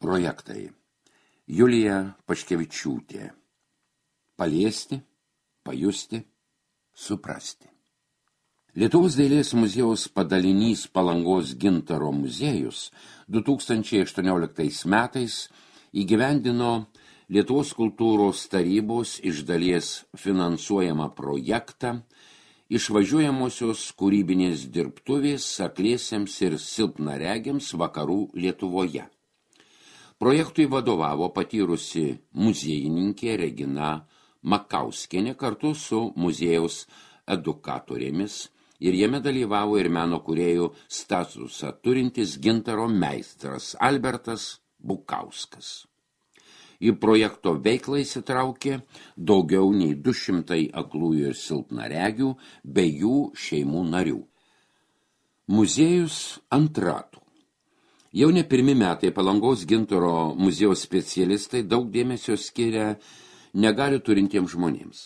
Projektai. Julija Paškevičiūtė. Paliesti, pajusti, suprasti. Lietuvos dailės muziejaus padalinys Palangos gintaro muziejus 2018 metais įgyvendino Lietuvos kultūros tarybos iš dalies finansuojamą projektą išvažiuojamosios kūrybinės dirbtuvės akliesiems ir silpnaregiams vakarų Lietuvoje. Projektui vadovavo patyrusi muziejininkė Regina Makauskienė kartu su muziejaus edukatorėmis ir jame dalyvavo ir meno kūrėjų statusą turintis gintaro meistras Albertas Bukauskas. Į projekto veiklą įsitraukė daugiau nei 200 aklųjų ir silpnaregių bei jų šeimų narių. Muziejus ant ratų. Jau ne pirmi metai Palangos gintaro muziejaus specialistai daug dėmesio skiria negalių turintiems žmonėms.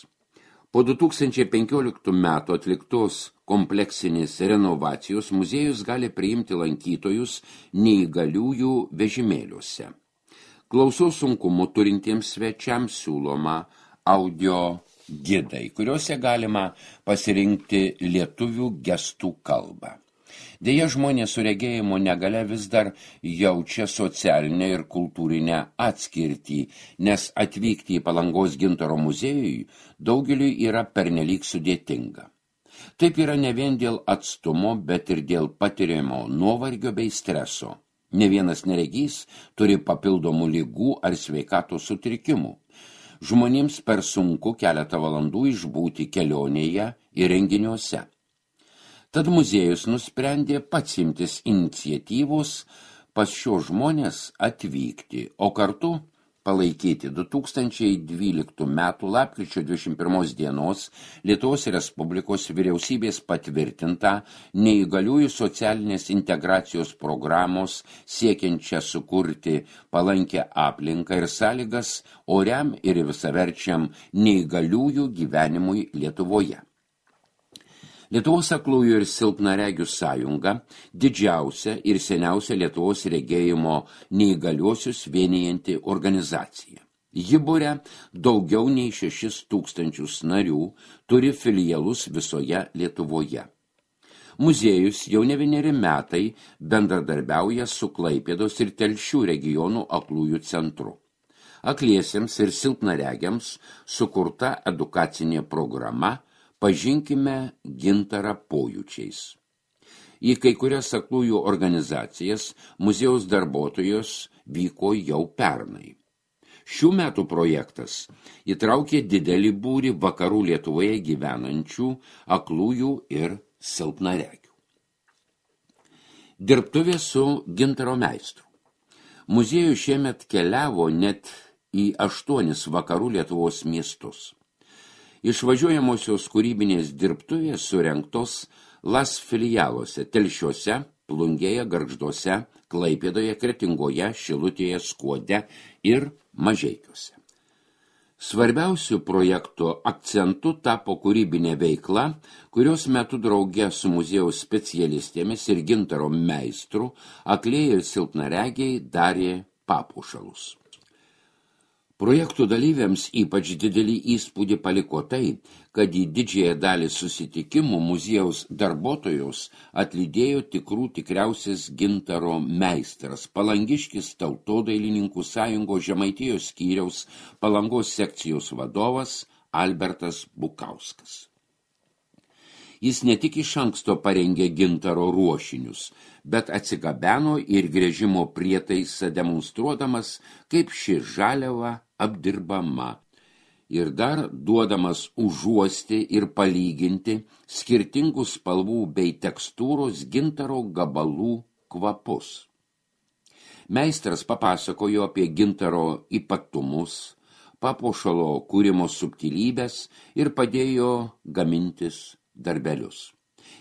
Po 2015 metų atliktos kompleksinės renovacijos muziejus gali priimti lankytojus neįgaliųjų vežimėliuose. Klausos sunkumų turintiems svečiams siūloma audio gidai, kuriuose galima pasirinkti lietuvių gestų kalbą. Deja, žmonės su regėjimo negalia vis dar jaučia socialinę ir kultūrinę atskirtį, nes atvykti į Palangos gintaro muziejui daugeliui yra pernelyg sudėtinga. Taip yra ne vien dėl atstumo, bet ir dėl patiriamo nuovargio bei streso. Ne vienas neregys turi papildomų ligų ar sveikatos sutrikimų. Žmonėms per sunku keletą valandų išbūti kelionėje ir renginiuose. Tad muziejus nusprendė pats imtis iniciatyvos pas šios žmonės atvykti, o kartu palaikyti 2012 metų lapkričio 21 dienos Lietuvos Respublikos vyriausybės patvirtintą neįgaliųjų socialinės integracijos programos siekiančią sukurti palankę aplinką ir sąlygas oriam ir visaverčiam neįgaliųjų gyvenimui Lietuvoje. Lietuvos aklųjų ir silpnaregių sąjunga didžiausia ir seniausia Lietuvos regėjimo neįgaliuosius vienijanti organizacija. Ji buria daugiau nei 6,000 narių, turi filialus visoje Lietuvoje. Muziejus jau ne vieneri metai bendradarbiauja su Klaipėdos ir Telšių regionų aklųjų centru. Akliesiems ir silpnaregiams sukurta edukacinė programa Pažinkime gintarą pojūčiais. Į kai kurias aklųjų organizacijas muziejaus darbuotojos vyko jau pernai. Šių metų projektas įtraukė didelį būrį vakarų Lietuvoje gyvenančių aklųjų ir silpnaregių. Dirbtuvė su gintaro meistru. Muziejus šiemet keliavo net į 8 vakarų Lietuvos miestus. Išvažiuojamosios kūrybinės dirbtuvės surengtos Las filialuose Telšiuose, Plungėje, Gargžduose, Klaipėdoje, Kretingoje, Šilutėje, Skuode ir Mažeikiuose. Svarbiausių projekto akcentų tapo kūrybinė veikla, kurios metu drauge su muziejaus specialistėmis ir gintaro meistru aklieji ir silpnaregiai darė papuošalus. Projektų dalyviams ypač didelį įspūdį paliko tai, kad į didžiąją dalį susitikimų muziejaus darbuotojos atlydėjo tikriausias gintaro meistras, palangiškis Tautodailininkų sąjungos Žemaitijos skyriaus Palangos sekcijos vadovas Albertas Bukauskas. Jis ne tik iš anksto parengė gintaro ruošinius, bet atsigabeno ir gręžimo prietaisą demonstruodamas, kaip ši žaliava apdirbama ir dar duodamas užuosti ir palyginti skirtingų spalvų bei tekstūros gintaro gabalų kvapus. Meistras papasakojo apie gintaro ypatumus, papuošalo kūrimo subtilybės ir padėjo gamintis darbelius.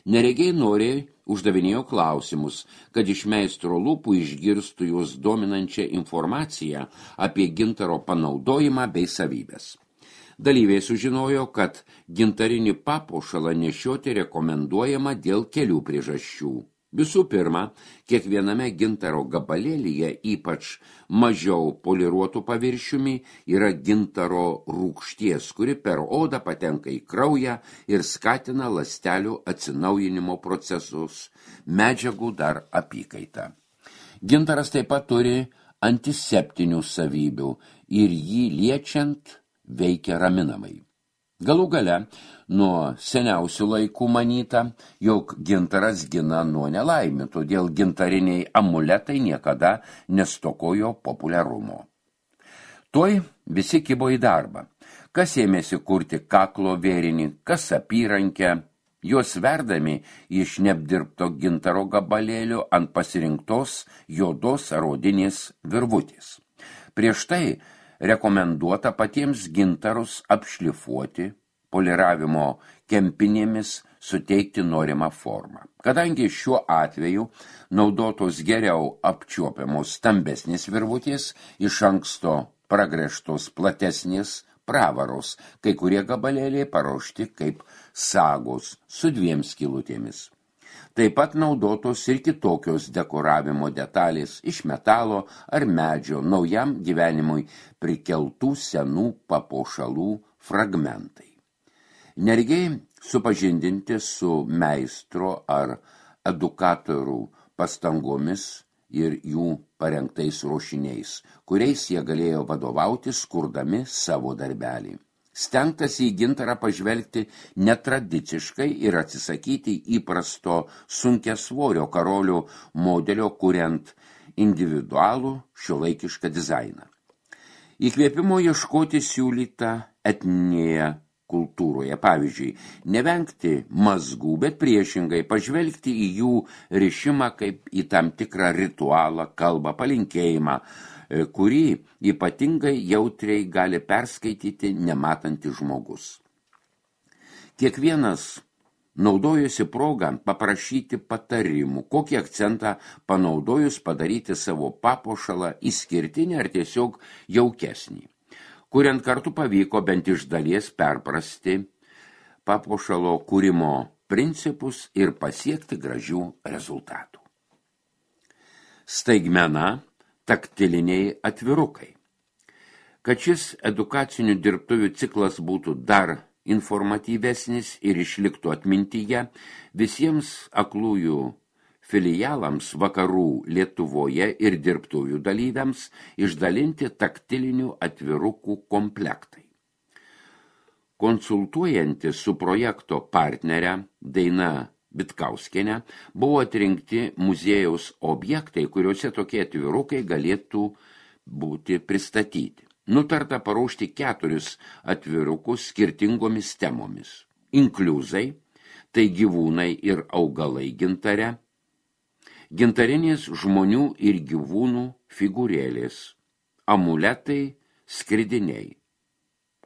Neregiai noriai uždavinėjo klausimus, kad iš meistro lūpų išgirstų juos dominančią informaciją apie gintaro panaudojimą bei savybės. Dalyviai sužinojo, kad gintarinį papuošalą nešioti rekomenduojama dėl kelių priežasčių. Visų pirma, kiekviename gintaro gabalėlyje, ypač mažiau poliruotų paviršiumi, yra gintaro rūgšties, kuri per odą patenka į kraują ir skatina ląstelių atsinaujinimo procesus, medžiagų dar apykaitą. Gintaras taip pat turi antiseptinių savybių ir jį liečiant veikia raminamai. Galų gale, nuo seniausių laikų manyta, jog gintaras gina nuo nelaimių, todėl gintariniai amuletai niekada nestokojo populiarumo. Tuoj visi kibo į darbą. Kas ėmėsi kurti kaklo vėrinį, kas apyrankę, juos verdami iš neapdirbto gintaro gabalėlio ant pasirinktos juodos ar odinės virvutės. Prieš tai rekomenduota patiems gintarus apšlifuoti, poliravimo kempinėmis suteikti norimą formą. Kadangi šiuo atveju naudotos geriau apčiuopiamos stambesnės virvutės, iš anksto pragręžtos platesnės pravaros, kai kurie gabalėliai paruošti kaip sagos su 2 skylutėmis. Taip pat naudotos ir kitokios dekoravimo detalės iš metalo ar medžio naujam gyvenimui prikeltų senų papuošalų fragmentai. Neregiai supažindinti su meistro ar edukatorių pastangomis ir jų parengtais ruošiniais, kuriais jie galėjo vadovautis, kurdami savo darbelį. Stengtasi į gintarą pažvelgti netradiciškai ir atsisakyti įprasto sunkiasvorio karolių modelio, kuriant individualų šiuolaikišką dizainą. Įkvėpimo ieškoti siūlyta etninėje kultūroje, pavyzdžiui, nevengti mazgų, bet priešingai pažvelgti į jų rišimą kaip į tam tikrą ritualą, kalbą, palinkėjimą, kurį ypatingai jautriai gali perskaityti nematantis žmogus. Kiekvienas naudojosi progą paprašyti patarimų, kokį akcentą panaudojus padaryti savo papuošalą išskirtinį ar tiesiog jaukesnį. Kuriant kartu pavyko bent iš dalies perprasti papuošalo kūrimo principus ir pasiekti gražių rezultatų. Staigmena – taktiliniai atvirukai. Kad šis edukacinių dirbtuvių ciklas būtų dar informatyvesnis ir išliktų atmintyje, visiems aklųjų filialams vakarų Lietuvoje ir dirbtuvių dalyviams išdalinti taktilinių atvirukų komplektai. Konsultuojantis su projekto partnere Daina Bitkauskienė buvo atrinkti muziejaus objektai, kuriuose tokie atvirukai galėtų būti pristatyti. Nutarta paruošti 4 atvirukus skirtingomis temomis. Inkliuzai, tai gyvūnai ir augalai gintare, gintarinės žmonių ir gyvūnų figūrėlės, amuletai, skridiniai,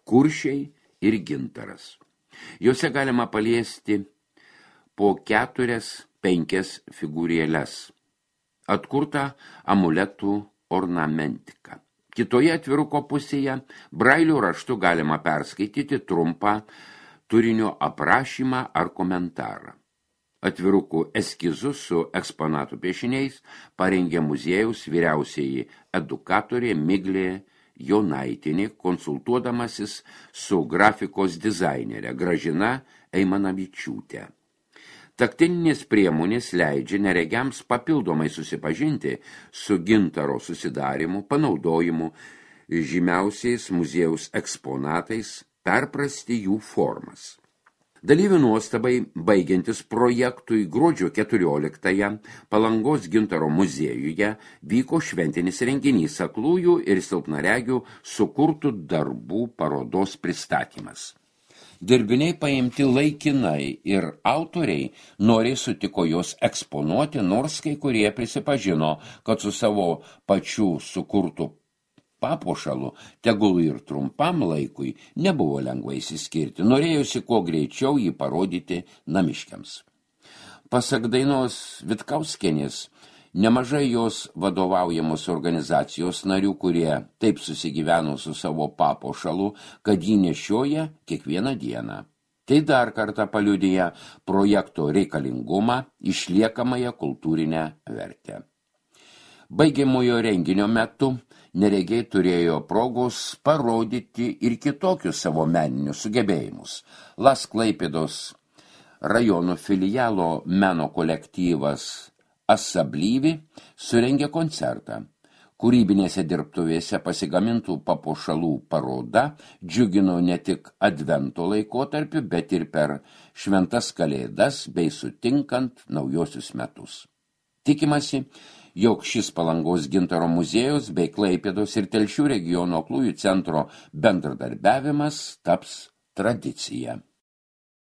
kuršiai ir gintaras. Juose galima paliesti po 4-5 figūrėles, atkurta amuletų ornamentika. Kitoje atviruko pusėje brailių raštu galima perskaityti trumpą turinio aprašymą ar komentarą. Atvirukų eskizus su eksponatų piešiniais parengė muziejaus vyriausieji edukatorė Miglė Jonaitinė, konsultuodamasis su grafikos dizainerė Gražina Eimanavičiūtė. Taktilinės priemonės leidžia neregiams papildomai susipažinti su gintaro susidarimu, panaudojimu, žymiausiais muziejaus eksponatais, perprasti jų formas. Dalyvių nuostabai, baigiantis projektui gruodžio 14-ąją Palangos gintaro muziejuje vyko šventinis renginys aklųjų ir silpnaregių sukurtų darbų parodos pristatymas. Dirbiniai paimti laikinai ir autoriai noriai sutiko juos eksponuoti, nors kai kurie prisipažino, kad su savo pačių sukurtų papuošalu, tegul ir trumpam laikui, nebuvo lengva išsiskirti, norėjusi kuo greičiau jį parodyti namiškiams. Pasak Dainos Vitkauskienės, nemažai jos vadovaujamos organizacijos narių, kurie taip susigyveno su savo papuošalu, kad jį nešioja kiekvieną dieną. Tai dar kartą paliudija projekto reikalingumą, išliekamąją kultūrinę vertę. Baigiamojo renginio metu neregiai turėjo progos parodyti ir kitokius savo meninius sugebėjimus. Las Klaipėdos rajono filialo meno kolektyvas Asablyvi surengė koncertą. Kūrybinėse dirbtuvėse pasigamintų papuošalų paroda džiugino ne tik advento laikotarpiu, bet ir per šventas kalėdas bei sutinkant naujosius metus. Tikimasi, jog šis Palangos gintaro muziejaus bei Klaipėdos ir Telšių regiono aklųjų centro bendradarbiavimas taps tradicija.